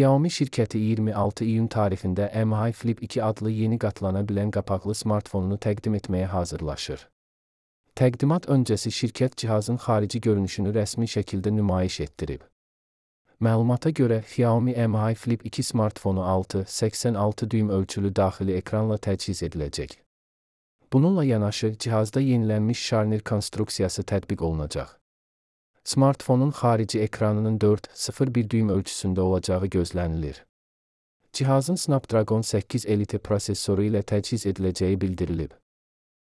Xiaomi şirkəti 26 iyun tarixində Mi Flip 2 adlı yeni qatlana bilən qapaqlı smartfonunu təqdim etməyə hazırlaşır. Təqdimat öncəsi şirkət cihazın xarici görünüşünü rəsmi şəkildə nümayiş etdirib. Məlumata görə, Xiaomi Mi Flip 2 smartfonu 6,86 düym ölçülü daxili ekranla təchiz ediləcək. Bununla yanaşı, cihazda yenilənmiş şarnir konstruksiyası tətbiq olunacaq. Smartfonun xarici ekranının 4,01 düym ölçüsündə olacağı gözlənilir. Cihazın Snapdragon 8 Elite prosesoru ilə təchiz ediləcəyi bildirilib.